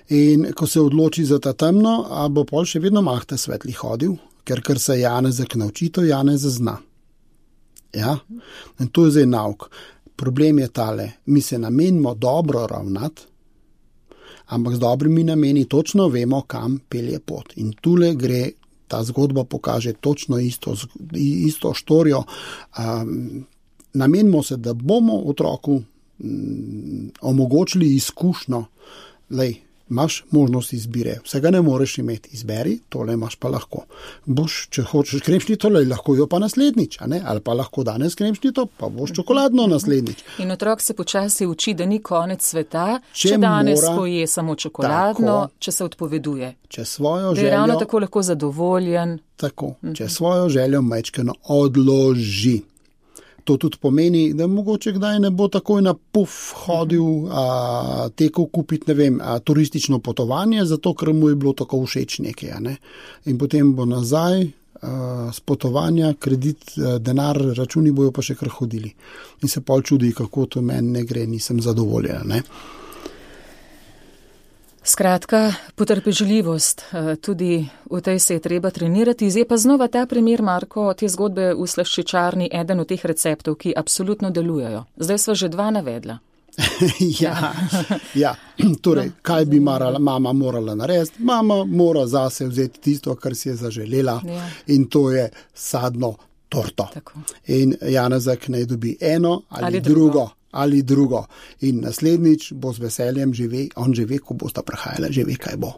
In ko se odloči za ta temno, bo pol še vedno mahta svetli hodil, ker se Janezek nauči, to Janez zna. Ja? In to je zdaj nauk. Problem je tale, mi se namenimo dobro ravnati, ampak z dobrimi nameni točno vemo, kam pelje pot. In tule gre, ta zgodba pokaže točno isto štorijo. Namenimo se, da bomo otroku omogočili izkušnjo, lej, imaš možnost izbire, vsega ne moreš imeti, izberi, tole imaš pa lahko. Boš, če hočeš kremšnito, lahko jo pa naslednjič, a ne? Ali pa lahko danes kremšnito, pa boš čokoladno naslednjič. In otrok se počasi uči, da ni konec sveta, če danes poje samo čokoladno, tako, če se odpoveduje. Če svojo željo, da je ravno tako lahko zadovoljen. Tako, če svojo željo majčkeno odloži. To tudi pomeni, da mogoče kdaj ne bo takoj na puf hodil, tekel kupiti, ne vem, turistično potovanje, zato ker mu je bilo tako všeč nekaj. Ne? In potem bo nazaj z potovanja, kredit, denar, računi bojo pa še kar hodili. In se pol čudi, kako to meni ne gre, nisem zadovoljen. Ne? Skratka, potrpežljivost, tudi v tej se je treba trenirati. Zdaj pa znova ta primer, Marko, te zgodbe v slaščičarni, eden od teh receptov, ki absolutno delujejo. Zdaj sva že dva navedla. Ja. Torej, kaj bi mama morala narediti? Mama mora zase vzeti tisto, kar si je zaželela, in to je sadno torto. Tako. In Janezek naj dobi eno ali drugo. In naslednjič bo z veseljem on že ve, ko bosta prihajala, že ve, kaj bo.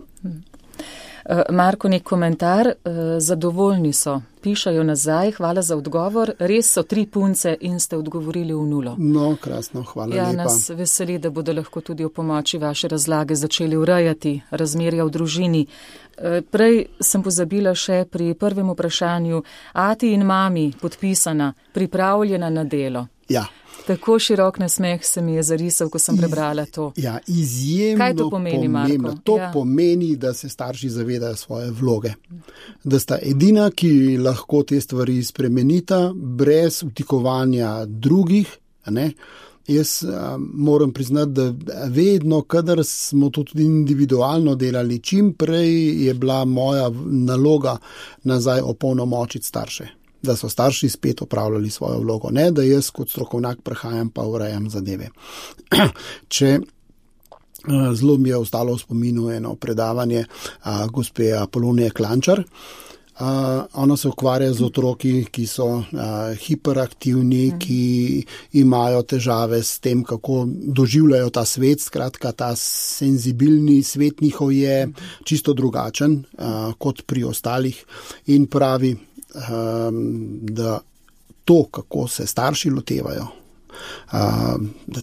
Marko, nek komentar, zadovoljni so, pišajo nazaj, hvala za odgovor, res so 3 punce in ste odgovorili v nulo. No, krasno, hvala lepa. Nas veseli, da bodo lahko tudi v pomoči vaše razlage začeli urejati razmerja v družini. Prej sem pozabila še pri prvem vprašanju, ati in mami podpisana, pripravljena na delo. Ja. Tako širok nasmeh se mi je zarisal, ko sem prebrala to. Ja, izjemno. Kaj to pomeni, Marko? To pomeni, da se starši zavedajo svoje vloge. Da sta edina, ki lahko te stvari spremenita, brez vtikovanja drugih. Ne? Jaz moram priznati, da vedno, kadar smo to tudi individualno delali, čim prej je bila moja naloga nazaj opolnomočiti starše. Da so starši spet opravljali svojo vlogo, ne da jaz kot strokovnjak prihajam pa urejam zadeve. Zelo mi je ostalo v spominu eno predavanje gospe Apolonije Klančar. Ona se ukvarja z otroki, ki so hiperaktivni, ki imajo težave s tem, kako doživljajo ta svet. Skratka, ta senzibilni svet njihov je čisto drugačen kot pri ostalih in pravi, da to, kako se starši lotevajo, da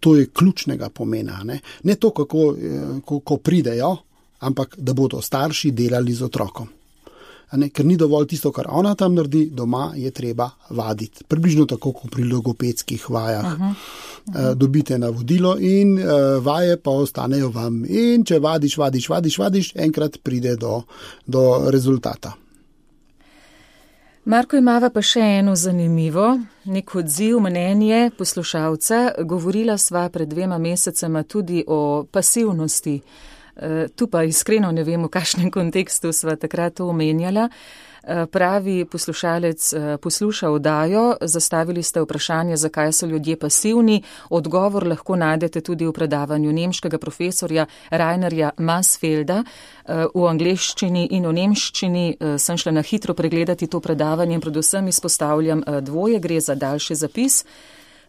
to je ključnega pomena. Ne to, kako pridejo, ampak da bodo starši delali z otrokom. Ker ni dovolj tisto, kar ona tam naredi, doma je treba vaditi. Približno tako, kot pri logopedskih vajah. Dobite navodilo in vaje pa ostanejo vam. In če vadiš, enkrat pride do rezultata. Marko, imava pa še eno zanimivo, nek odziv, mnenje poslušalca. Govorila sva pred 2 mesecema tudi o pasivnosti. Tu pa iskreno ne vem, v kakšnem kontekstu sva takrat to omenjala. Pravi poslušalec, posluša oddajo, zastavili ste vprašanje, zakaj so ljudje pasivni. Odgovor lahko najdete tudi v predavanju nemškega profesorja Rainerja Mansfelda v angleščini in v nemščini. Sem šla na hitro pregledati to predavanje in predvsem izpostavljam dvoje, gre za daljši zapis.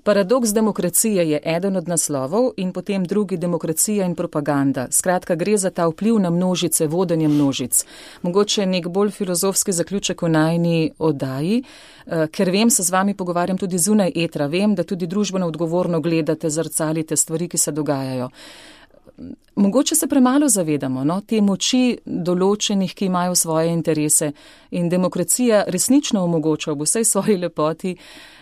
Paradoks demokracije je eden od naslovov in potem drugi demokracija in propaganda. Skratka, gre za ta vpliv na množice, vodenje množic. Mogoče nek bolj filozofski zaključek v najini oddaji, ker vem, se z vami pogovarjam tudi zunaj etra, vem, da tudi družbeno odgovorno gledate, zrcalite stvari, ki se dogajajo. mogoče se premalo zavedamo, no, te moči določenih, ki imajo svoje interese in demokracija resnično omogoča v vsej svoji lepoti,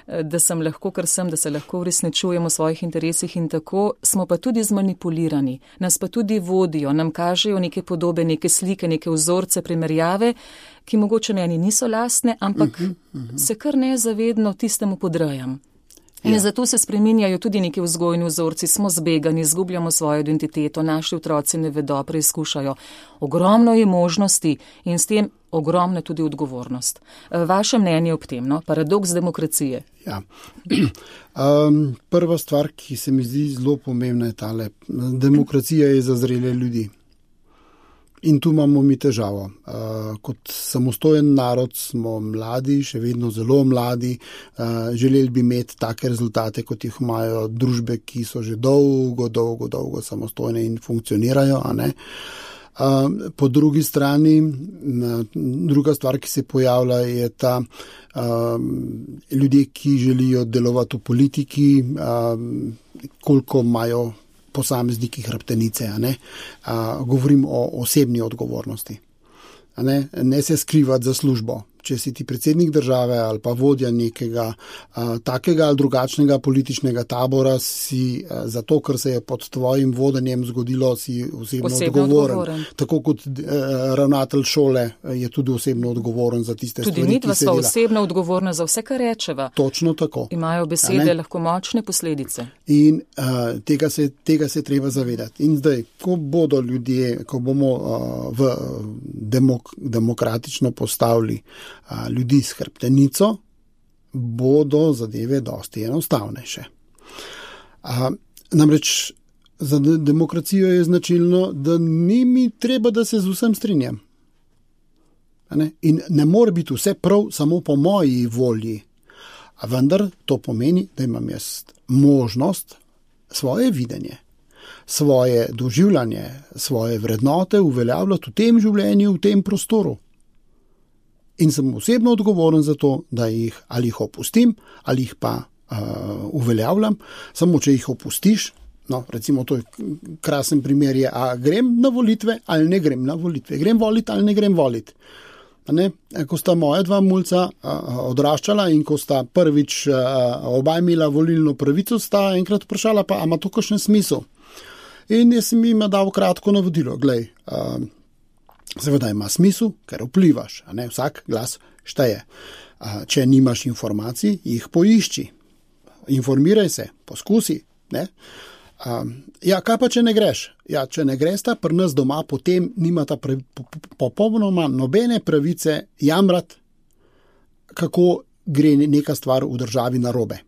da sem lahko, kar sem, da se lahko uresničujemo v svojih interesih in tako smo pa tudi zmanipulirani, nas pa tudi vodijo, nam kažejo neke podobe, neke slike, neke vzorce, primerjave, ki mogoče meni niso lastne, ampak se kar nezavedno tistemu podrejam. In zato se spreminjajo tudi neki vzgojni vzorci, smo zbegani, izgubljamo svojo identiteto, naši otroci ne vedo, preizkušajo. Ogromno je možnosti in s tem ogromna tudi odgovornost. Vaše mnenje ob tem, no? Paradoks demokracije. Ja. Prva stvar, ki se mi zdi zelo pomembna, je tale. Demokracija je za zrele ljudi. In tu imamo mi težavo. Kot samostojen narod smo mladi, še vedno zelo mladi, želeli bi imeti take rezultate, kot jih imajo družbe, ki so že dolgo samostojne in funkcionirajo, a ne. Po drugi strani, druga stvar, ki se pojavlja, je ta ljudje, ki želijo delovati v politiki, koliko imajo posamezniki hrbtenice, a ne. Govorim o osebni odgovornosti. A ne se skrivati za službo. Če si ti predsednik države ali pa vodja nekega takega ali drugačnega političnega tabora, si zato, ker se je pod tvojim vodenjem zgodilo, si osebno odgovoren. Tako kot ravnatelj šole je tudi osebno odgovoren za tiste tudi stvari, ki se dela. Tudi mi osebno odgovorna za vse, kar rečeva. Točno tako. Imajo besede lahko močne posledice. In tega se treba zavedati. In zdaj, ko bodo ljudje, ko bomo v demokratično postavili ljudi s hrbtenico, bodo zadeve dosti enostavnejše. Namreč za demokracijo je značilno, da ni mi treba, da se z vsem strinjam. In ne more biti vse prav samo po moji volji. A vendar to pomeni, da imam jaz možnost svoje videnje, svoje doživljanje, svoje vrednote uveljavljati v tem življenju, v tem prostoru. In sem osebno odgovoren za to, da jih ali jih opustim, ali jih pa uveljavljam. Samo če jih opustiš, no, recimo to je krasen primer je, a grem na volitve ali ne grem na volitve, grem voliti ali ne grem voliti. Ko sta moja dva mulca odraščala in ko sta prvič oba imela volilno pravico, sta enkrat vprašala, pa ima to kakšen smisel. In jaz sem jim dal kratko navodilo, glej, seveda ima smisel, ker vplivaš, a ne, vsak glas šteje. Če nimaš informacij, jih poišči. Informiraj se, poskusi. Ne? Ja, kaj pa, če ne greš? Ja, če ne gresta, pri nas doma potem nimata popolnoma nobene pravice jamrati, kako gre neka stvar v državi narobe.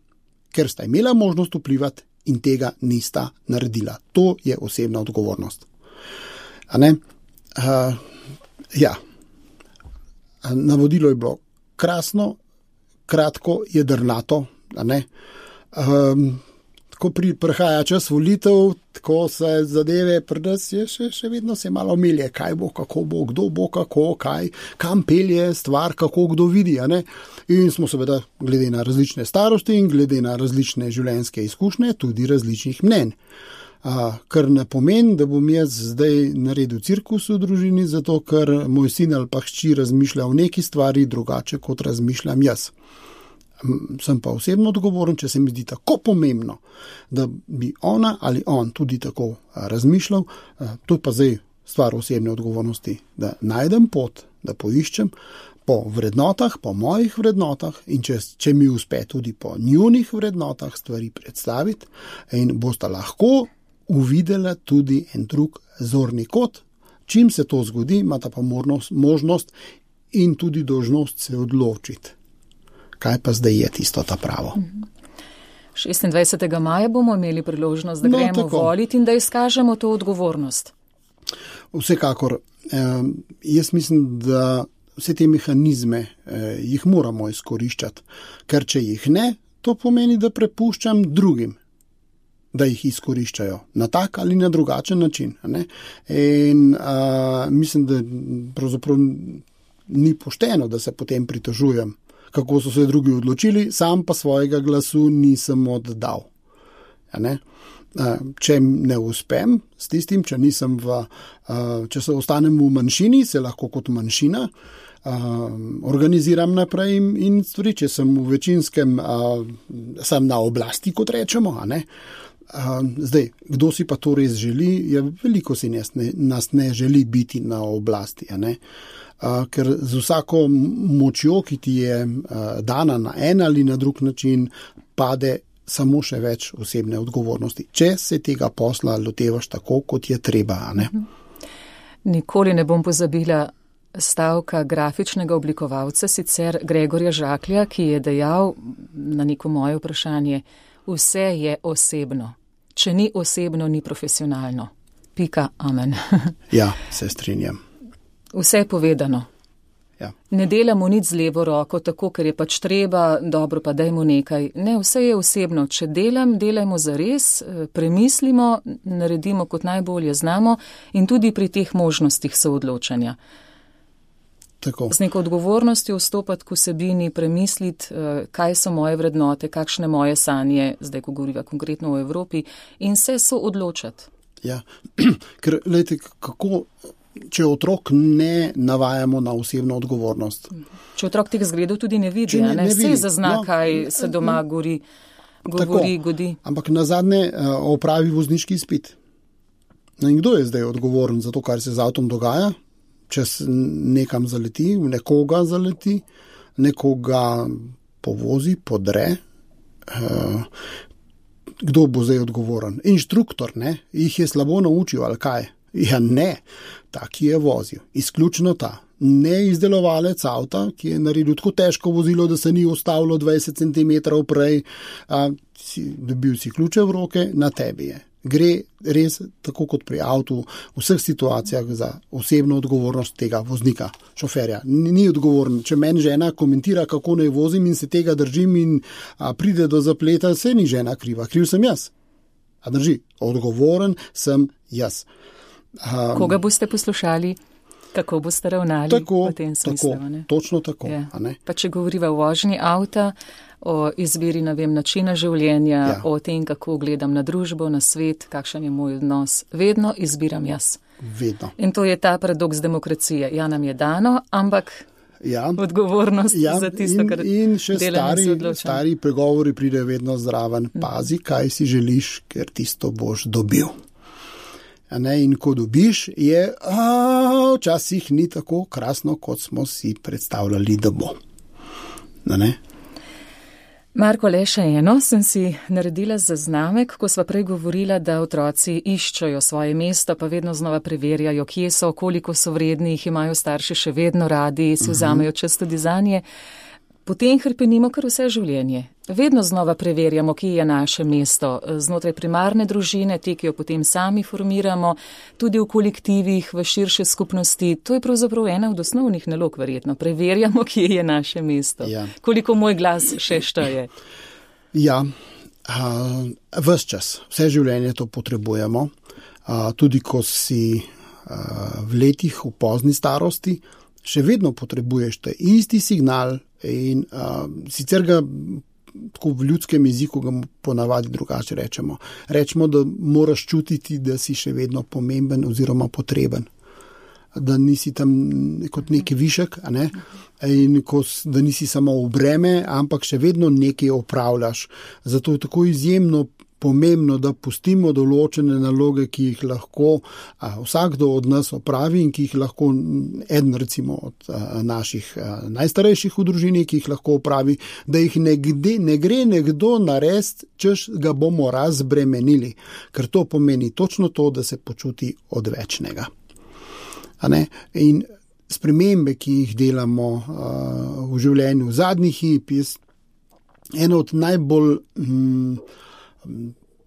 Ker sta imela možnost vplivati in tega nista naredila. To je osebna odgovornost. A ne? Ja, navodilo je bilo krasno, kratko, jedrnato, a ne. Ko prihaja čas volitev, tako se zadeve pri nas je še vedno se malo melje, kaj bo, kako bo, kdo bo, kako, kaj, kam pelje stvar, kako kdo vidi, a ne. In smo seveda glede na različne starosti in glede na različne življenjske izkušnje tudi različnih mnenj. Kar ne pomeni, da bom jaz zdaj naredil cirkus v družini, zato ker moj sin ali pa hči razmišlja o neki stvari drugače, kot razmišljam jaz. Sem pa osebno odgovoren, če se mi zdi tako pomembno, da bi ona ali on tudi tako razmišljal, to je pa zdaj stvar osebne odgovornosti, da najdem pot, da poiščem po vrednotah, po mojih vrednotah in če mi uspe tudi po njunih vrednotah stvari predstaviti in bosta lahko uvidela tudi en drug zorni kot. Čim se to zgodi, imata pa možnost in tudi dolžnost se odločiti. Kaj pa zdaj je tisto ta pravo? 26. maja bomo imeli priložnost, da gremo voliti in da izkažemo to odgovornost. Vsekakor. Jaz mislim, da vse te mehanizme jih moramo izkoriščati, ker če jih ne, to pomeni, da prepuščam drugim, da jih izkoriščajo na tak ali na drugačen način. Ne? In mislim, da pravzaprav ni pošteno, da se potem pritožujem, kako so se drugi odločili, sam pa svojega glasu nisem oddal. Ne? če ne uspem s tistim, če se ostanem v manjšini, se lahko kot manjšina organiziram naprej in stvari, če sem v večinskem, sem na oblasti, kot rečemo, a ne. Zdaj, kdo si pa to res želi, veliko si nas ne želi biti na oblasti, a ne. Ker z vsako močjo, ki ti je dana na en ali na drug način, pade samo še več osebne odgovornosti, če se tega posla lotevaš tako, kot je treba, a ne? Nikoli ne bom pozabila stavka grafičnega oblikovalca, sicer Gregorja Žaklja, ki je dejal na neko moje vprašanje, vse je osebno. Če ni osebno, ni profesionalno. Pika, amen. Ja, se strinjam. Vse je povedano. Ja. Ne delamo nič z levo roko, tako, ker je pač treba, dobro pa dajmo nekaj. Ne, vse je osebno. Če delajmo zares, premislimo, naredimo kot najbolje znamo in tudi pri teh možnostih soodločanja. Tako. Z neko odgovornostjo vstopati k vsebini, premisliti, kaj so moje vrednote, kakšne moje sanje, zdaj, ko govoriva konkretno o Evropi, in se soodločati. Ja, ker, lejte, kako... Če otrok ne navajamo na osebno odgovornost. Če otrok teh zgledov tudi ne vidi, ne vidi. Vse zazna, kaj se doma godi. Ampak nazadnje opravi vozniški izpit. In kdo je zdaj odgovoren za to, kar se z avtom dogaja? Če nekam zaleti, v nekoga zaleti, nekoga povozi, podre. Kdo bo zdaj odgovoren? Inštruktor, ne? Jih je slabo naučil, ali kaj? Ja, ne, taki je vozil, izključno ta. Ne izdelovalec avta, ki je naredil tako težko vozilo, da se ni ustavilo 20 cm prej, dobil si ključe v roke, na tebi je. Gre res tako kot pri avtu v vseh situacijah za osebno odgovornost tega voznika, šoferja. Ni odgovoren. Če meni žena komentira, kako naj vozim in se tega držim in pride do zapleta, se ni žena kriva. Kriv sem jaz. A drži, odgovoren sem jaz. Koga boste poslušali, kako boste ravnali v tem smislu? Točno tako. Ja. Pa če govoriva o vožnji avta, o izbiri, načina življenja, o tem, kako gledam na družbo, na svet, kakšen je moj odnos, vedno izbiram jaz. Vedno. In to je ta paradoks demokracije. Ja, nam je dano, ampak odgovornost za tisto, kar in še stari pregovori pridejo vedno zraven. Pazi, kaj si želiš, ker tisto boš dobil. In ko dobiš, je včasih ni tako krasno, kot smo si predstavljali, da bo. Marko, le še eno sem si naredila zaznamek, ko sva prej govorila, da otroci iščejo svoje mesto, pa vedno znova preverjajo, kje so, koliko so vredni, jih imajo starši še vedno radi, si vzamejo čas tudi zanje. Potem hrepenimo kar vse življenje. Vedno znova preverjamo, kje je naše mesto. Znotraj primarne družine, te, ki jo potem sami formiramo, tudi v kolektivih, v širše skupnosti. To je pravzaprav ena od osnovnih nalog, verjetno. Preverjamo, kje je naše mesto. Ja. Koliko moj glas še šteje. Ja, ves čas. Vse življenje to potrebujemo. Tudi ko si v letih, v pozni starosti, še vedno potrebuješ te isti signal in sicer ga tako v ljudskem jeziku ga ponavadi drugače rečemo. Rečemo, da moraš čutiti, da si še vedno pomemben oziroma potreben. Da nisi tam kot neki višek, a ne? In da nisi samo v breme, ampak še vedno nekaj opravljaš. Zato je tako izjemno pomembno, da pustimo določene naloge, ki jih lahko vsakdo od nas opravi in ki jih lahko eden recimo od naših najstarejših v družini, ki jih lahko opravi, da jih ne gre nekdo narediti, češ ga bomo razbremenili, ker to pomeni točno to, da se počuti odvečnega. In spremembe, ki jih delamo v življenju v zadnjih hip, je ena od najbolj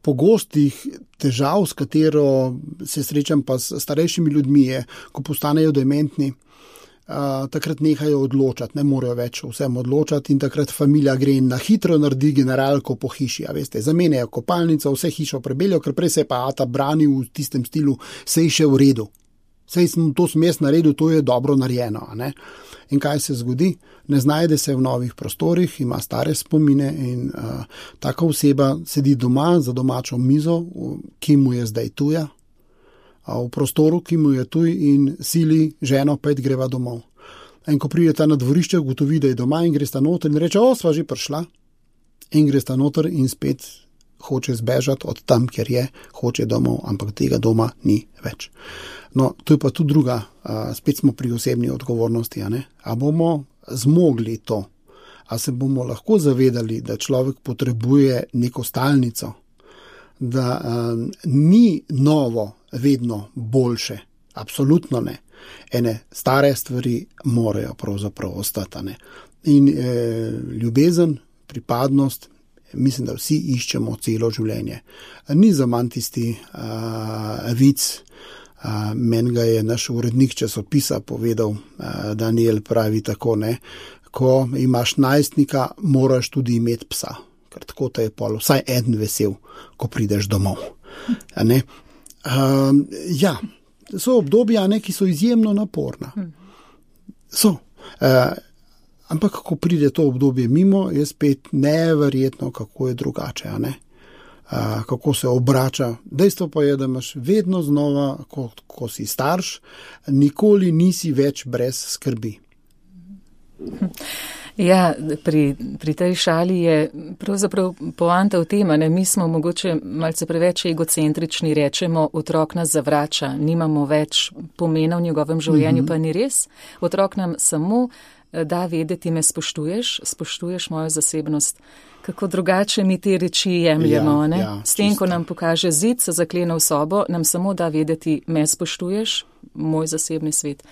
pogostih težav, s katero se srečam pa s starejšimi ljudmi, je, ko postanejo dementni, takrat nehajo odločati, ne morejo več vsem odločati in takrat familija gre in na hitro naredi generalko po hiši, zamenjajo kopalnico, vse hišo prebeljo, ker prej se pa ata brani v tistem stilu, se je še v redu. sej sem to smes naredil, to je dobro narejeno. Ne? In kaj se zgodi? Ne znajde se v novih prostorih, ima stare spomine in taka oseba sedi doma za domačo mizo, ki mu je zdaj tuja, v prostoru, ki mu je tuj in sili ženo, pa greva domov. In ko pride ta na dvorišče, ugotovi, da je doma in gre sta noter in reče, sva že prišla. In gre sta noter in spet hoče zbežati od tam, kjer je, hoče domov, ampak tega doma ni več. No, to je pa tudi druga, spet smo pri osebni odgovornosti, a bomo zmogli to, a se bomo lahko zavedali, da človek potrebuje neko stalnico, da ni novo vedno boljše, absolutno ne. Ene stare stvari morajo pravzaprav ostati. In ljubezen, pripadnost, mislim, da vsi iščemo celo življenje. Ni za manj tisti vic, meni ga je naš urednik časopisa povedal, Daniel pravi tako, ko imaš najstnika, moraš tudi imeti psa, ker tako te je pol vsaj eden vesel, ko prideš domov. Ja, so obdobja, ki so izjemno naporna. So. Ampak, ko pride to obdobje mimo, je spet neverjetno, kako je drugače, kako se obrača. Dejstvo pa je, da imaš vedno znova, ko si starš, nikoli nisi več brez skrbi. Ja, pri tej šali je pravzaprav poanta v tem, mi smo mogoče malce preveč egocentrični, rečemo, otrok nas zavrača, nimamo več pomena v njegovem življenju, pa ni res. Otrok nam samo da vedeti, me spoštuješ mojo zasebnost. Kako drugače mi te reči jemljemo, S tem, ko nam pokaže zid, se zaklene v sobo, nam samo da vedeti, me spoštuješ, moj zasebni svet.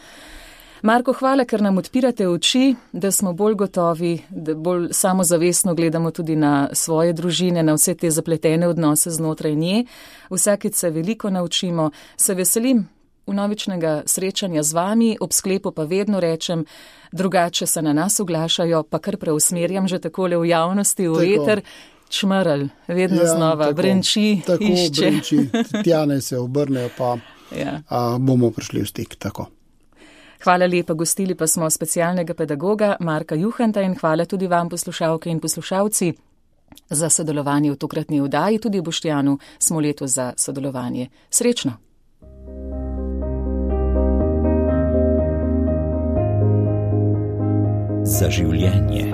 Marko, hvala, ker nam odpirate oči, da smo bolj gotovi, da bolj samozavestno gledamo tudi na svoje družine, na vse te zapletene odnose znotraj nje. Vsakič se veliko naučimo, se veselim vnovičnega srečanja z vami, ob sklepu pa vedno rečem, drugače se na nas oglašajo, pa kar preusmerjam že takole v javnosti, v eter, čmrl, vedno znova, tako, brenči, tako, išče. Brenči, tjane se obrnejo, pa bomo prišli v stik, tako. Hvala lepa, gostili pa smo specialnega pedagoga Marka Juhanta in hvala tudi vam, poslušalke in poslušalci, za sodelovanje v tokratni oddaji, tudi Boštjanu smo letos za sodelovanje. Srečno! Za življenje.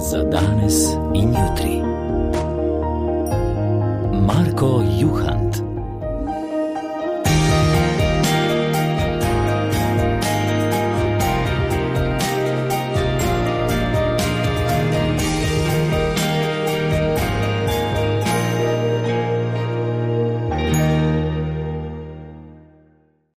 Za danes in jutri. Marko Juhant.